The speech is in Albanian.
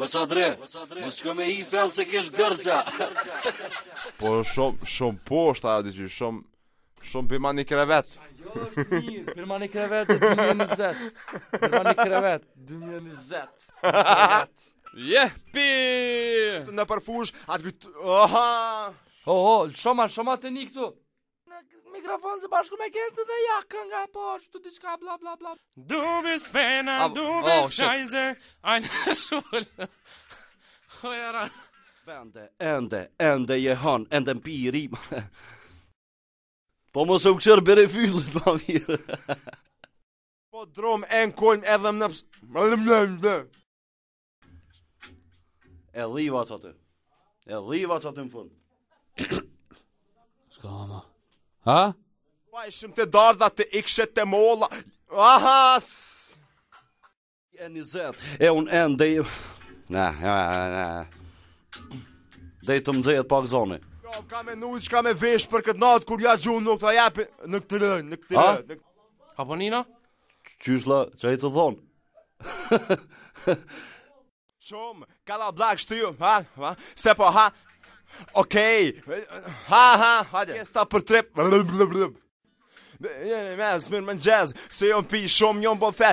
O Sadri, mos shko me i fell se kesh gërgja. Po shumë shumë poshtë ajo diçi, shumë shumë bima një krevet. Jo, është mirë. Pirma një krevet 2020. Pirma një krevet 2020. Krevet. Jepi! Në përfush, atë kujt... Oha! Ho, ho, lëshoma, lëshoma të një këtu. Në mikrofon së bashku me Kencën dhe ja kënga e poshtë, tu diçka bla bla bla. Du bist Penner, Aber- du oh, bist shit. Scheiße, ein Schwul. Oh, jara. Ende, ende, ende jehon, ende mpi rima. Po mos e u kqër bere fyllit ma mirë. Po drom e në kolm edhe më në... E dhiva që aty. E dhiva që aty në fund. S'ka ma. Ha? Pa ishim të dardha të ikshe të molla. Aha! s- E 20, e unë ende... Na, na, na. Dej të më nxehet pak zoni. Jo, Ka me nu që ka me vesh për këtë natë kur ja gjumë nuk ta japi në këtë lë, në këtë A? lë. në këtë- Apo Nino? Qysh la, që i të thonë? Shumë, kalla blak shtyu, ha, ha, se po ha. Okej, ha, ha, hajde. Pjesta për trip. Jeni mes, mirë mëngjes, se jom pi shumë, jom bo fe.